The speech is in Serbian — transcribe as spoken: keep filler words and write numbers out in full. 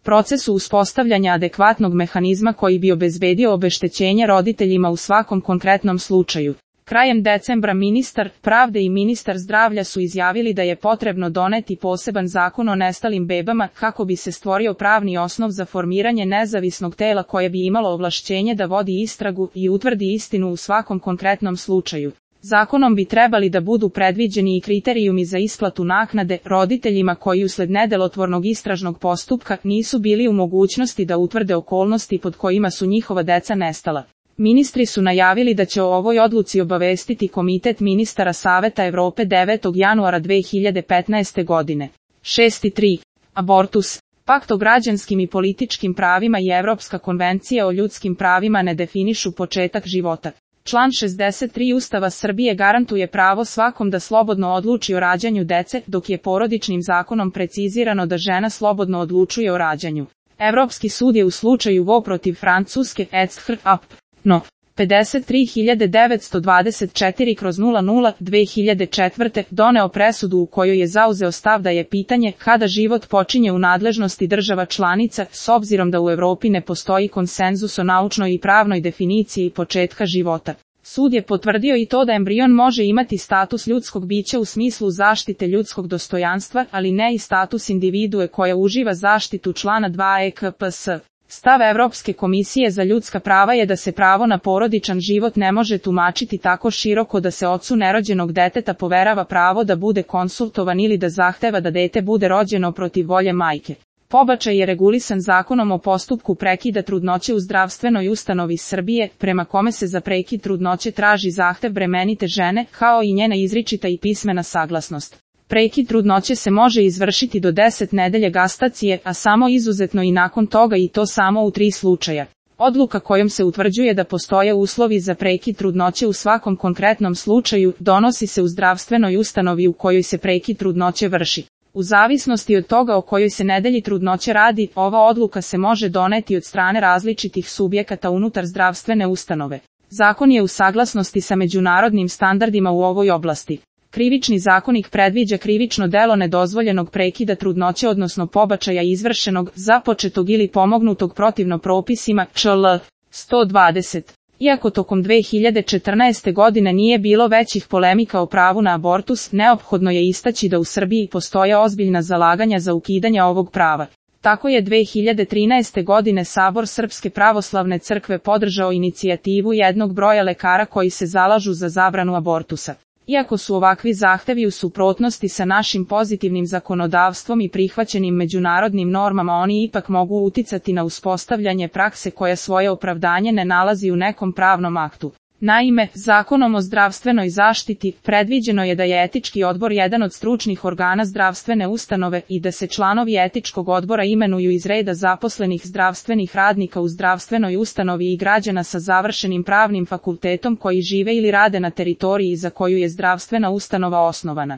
procesu uspostavljanja adekvatnog mehanizma koji bi obezbedio obeštećenje roditeljima u svakom konkretnom slučaju. Krajem decembra ministar pravde i ministar zdravlja su izjavili da je potrebno doneti poseban zakon o nestalim bebama kako bi se stvorio pravni osnov za formiranje nezavisnog tela koje bi imalo ovlašćenje da vodi istragu i utvrdi istinu u svakom konkretnom slučaju. Zakonom bi trebali da budu predviđeni i kriterijumi za isplatu naknade roditeljima koji usled nedelotvornog istražnog postupka nisu bili u mogućnosti da utvrde okolnosti pod kojima su njihova deca nestala. Ministri su najavili da će o ovoj odluci obavestiti Komitet ministara Saveta Evrope devetog januara dve hiljade petnaeste godine. šest tri. Abortus. Pakt o građanskim i političkim pravima i Evropska konvencija o ljudskim pravima ne definišu početak života. Član šezdeset tri Ustava Srbije garantuje pravo svakom da slobodno odluči o rađanju dece, dok je porodičnim zakonom precizirano da žena slobodno odlučuje o rađanju. Evropski sud je u slučaju Vo protiv Francuske E C H A P No. pedeset tri hiljade devetsto dvadeset četiri kroz nula nula dve hiljade četvrte doneo presudu u kojoj je zauzeo stav da je pitanje kada život počinje u nadležnosti država članica, s obzirom da u Evropi ne postoji konsenzus o naučnoj i pravnoj definiciji početka života. Sud je potvrdio i to da embrion može imati status ljudskog bića u smislu zaštite ljudskog dostojanstva, ali ne i status individue koja uživa zaštitu člana dva E K P S. Stav Evropske komisije za ljudska prava je da se pravo na porodičan život ne može tumačiti tako široko da se ocu nerođenog deteta poverava pravo da bude konsultovan ili da zahteva da dete bude rođeno protiv volje majke. Pobačaj je regulisan Zakonom o postupku prekida trudnoće u zdravstvenoj ustanovi Srbije, prema kome se za prekid trudnoće traži zahtev bremenite žene, kao i njena izričita i pismena saglasnost. Prekid trudnoće se može izvršiti do deset nedelje gastacije, a samo izuzetno i nakon toga i to samo u tri slučaja. Odluka kojom se utvrđuje da postoje uslovi za prekid trudnoće u svakom konkretnom slučaju donosi se u zdravstvenoj ustanovi u kojoj se prekid trudnoće vrši. U zavisnosti od toga o kojoj se nedelji trudnoće radi, ova odluka se može doneti od strane različitih subjekata unutar zdravstvene ustanove. Zakon je u saglasnosti sa međunarodnim standardima u ovoj oblasti. Krivični zakonik predviđa krivično delo nedozvoljenog prekida trudnoće odnosno pobačaja izvršenog, započetog ili pomognutog protivno propisima Č L sto dvadeset. Iako tokom dve hiljade četrnaeste. godine nije bilo većih polemika o pravu na abortus, neophodno je istaći da u Srbiji postoje ozbiljna zalaganja za ukidanje ovog prava. Tako je dve hiljade trinaeste. godine Sabor Srpske pravoslavne crkve podržao inicijativu jednog broja lekara koji se zalažu za zabranu abortusa. Iako su ovakvi zahtevi u suprotnosti sa našim pozitivnim zakonodavstvom i prihvaćenim međunarodnim normama, oni ipak mogu uticati na uspostavljanje prakse koja svoje opravdanje ne nalazi u nekom pravnom aktu. Naime, Zakonom o zdravstvenoj zaštiti predviđeno je da je etički odbor jedan od stručnih organa zdravstvene ustanove i da se članovi etičkog odbora imenuju iz reda zaposlenih zdravstvenih radnika u zdravstvenoj ustanovi i građana sa završenim pravnim fakultetom koji žive ili rade na teritoriji za koju je zdravstvena ustanova osnovana.